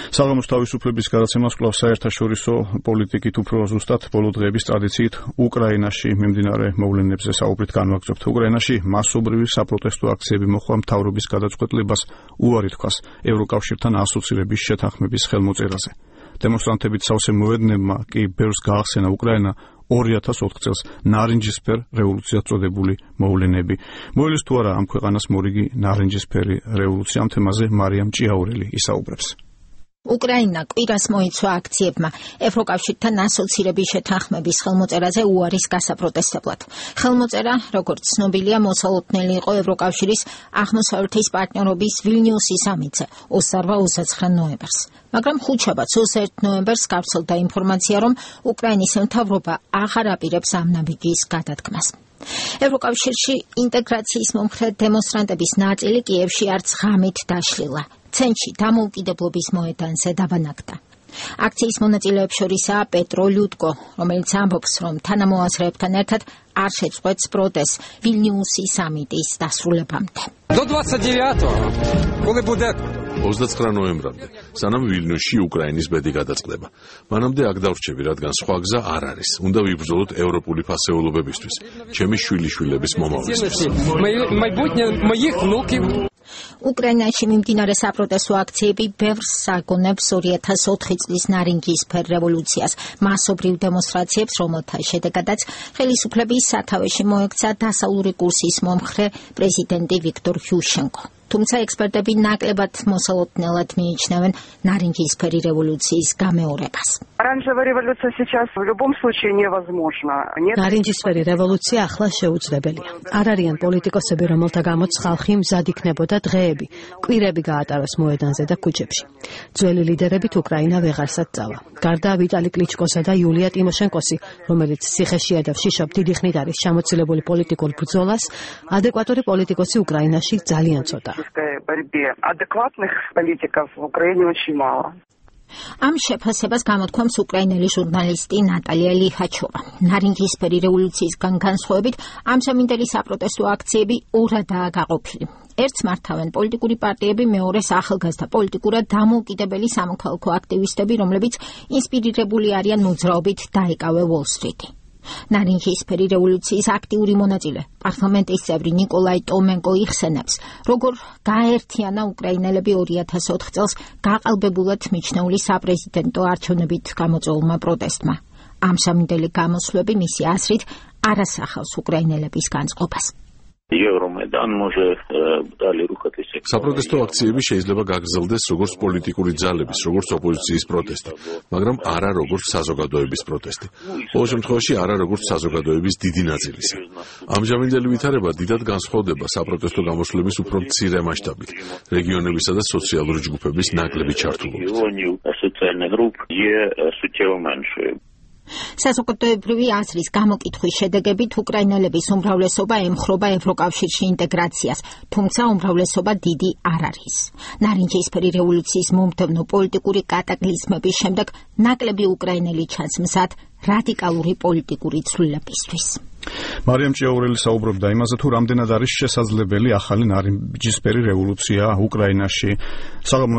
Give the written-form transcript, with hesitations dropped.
საღამოს თავისუფლების გადაცემას კვლავ საერთაშორისო პოლიტიკით უფრო ზუსტად ბოლო დღეების ტრადიციით უკრაინაში მიმდინარე მოვლენებზე საუბრით განვაგრძობთ. უკრაინაში მასობრივი საპროტესტო აქციები მოჰყვა მთავრობის გადაწყვეტილებას უარი თქვას ევროკავშირთან ასოცირების შეთანხმების ხელმოწერაზე. დემონსტრანტებით სავსე მოედნებმა კი ბევრს გაახსენა უკრაინა 2004 წელს ნარინჯისფერ რევოლუციად წოდებული მოვლენები. მოელის თუ არა ამ ქვეყანას მორიგი ნარინჯისფერი რევოლუცია? ამ თემაზე მარიამ ჭიაურელი ისაუბრებს. უკრაინა კვირას მოიცვა აქციებმა ევროკავშირთან ასოცირების შეთანხმების ხელმოწერაზე უარის გასაპროტესტებლად. ხელმოწერა, როგორც ცნობილია, მოსალოდნელი იყო ევროკავშირის აღმოსავლეთის პარტნიორობის ვილნიუსის სამიტზე 28-29 ნოემბერს. მაგრამ ხუთშაბათს 21 ნოემბერს გავრცელდა ინფორმაცია, რომ უკრაინის მთავრობა აღარ აპირებს ამ ნაბიჯის გადადგმას. ევროკავშირში ინტეგრაციის მომხრე დემონსტრანტების ნაწილი კიევში არც ღამით დაშლილა. ცენტრში დამოუკიდებლობის მოედანზე დაბანაკდა. აქციის მონაწილეებს შორისაა პეტრო ლიუტკო, რომელიც ამბობს, რომ თანამოაზრეებთან ერთად არ შეწყვეტს პროტესტს ვილნიუსის სამიტის დასრულებამდე. 29 ნოემბრამდე, სანამ ვილნიუსში უკრაინის ბედი გადაწყდება. მანამდე აქ დავრჩები, რადგან სხვა გზა არ არის. უნდა ვიბრძოლოთ ევროპული ფასეულობებისთვის, ჩემი შვილიშვილების მომავლისთვის. უკრაინაში მიმდინარე საპროტესტო აქციები ბევრს აგონებს 2004 წლის ნარინჯისფერ რევოლუციას, მასობრივ დემონსტრაციებს, რომელთა შედეგადაც ხელისუფლების სათავეში მოექცა დასავლური კურსის მომხრე პრეზიდენტი ვიქტორ იუშენკო. თუმცა ექსპერტები ნაკლებად მოსალოდნელად მიიჩნევენ ნარინჯისფერი რევოლუციის გამეორებას. ნარინჯისფერი რევოლუცია ახლა შეუძლებელია. არ არიან პოლიტიკოსები, რომელთა გამოც ხალხი მზად იქნებოდა დღეები, კვირები გაატაროს მოედანზე და ქუჩებში. ძველი ლიდერებით უკრაინა ვეღარსად წავა. გარდა ვიტალი კლიჩკოსა და იულია ტიმოშენკოსი, რომელიც ციხეშია და შიშობ დიდი ხნით არის ჩამოცილებული პოლიტიკურ ბრძოლას, ადეკვატური პოლიტიკოსი უკრაინაში ძალიან ცოტა. ამ შეფასებას გამოთქვამს უკრაინელი ჟურნალისტი ნატალია ლიჰაჩოვა. ნარინჯისფერი რევოლუციისგან განსხვავებით, ამჟამინდელი საპროტესტო აქციები ორადაა გაყოფილი. ერთს მართავენ პოლიტიკური პარტიები, მეორეს ახალგაზრდა პოლიტიკურად დამოუკიდებელი სამოქალაქო აქტივისტები, რომლებიც ინსპირირებული არიან მოძრაობით დაეკავე უოლ-სტრიტი. ნარინჯისფერი რევოლუციის აქტიური მონაწილე, პარლამენტის წევრი ნიკოლაი ტომენკო იხსენებს, როგორ გააერთიანა უკრაინელები 2004 წელს გაყალბებულად მიჩნეული საპრეზიდენტო არჩევნებით გამოწვეულმა პროტესტმა. ამჟამინდელი გამოსვლები მისი აზრით არ ასახავს უკრაინელების განწყობას. საპროტესტო აქციები შეიძლება გაგრძელდეს როგორც პოლიტიკური ძალების, როგორც ოპოზიციის პროტესტი, მაგრამ არა როგორც საზოგადოების პროტესტი. ყოველ შემთხვევაში არა როგორც საზოგადოების დიდი ნაწილისა. ამჟამინდელი ვითარება დიდად განსხვავდება საპროტესტო გამოსვლების უფრო მცირე მასშტაბით, რეგიონებისა და სოციალური ჯგუფების ნაკლები ჩართულობით. საზოგადოებრივი აზრის გამოკითხვის შედეგებით უკრაინელების უმრავლესობა ემხრობა ევროკავშირში ინტეგრაციას, თუმცა უმრავლესობა დიდი არ არის. ნარინჯისფერი რევოლუციის მომდევნო პოლიტიკური კატაკლიზმების შემდეგ ნაკლები უკრაინელი ჩანს მზად რადიკალური პოლიტიკური ცვლილებისთვის. მარიამ ჭიაურელი საუბრობდა იმაზე, თუ რამდენად არის შესაძლებელი ახალი ნარინჯისფერი რევოლუცია უკრაინაში. საღამოს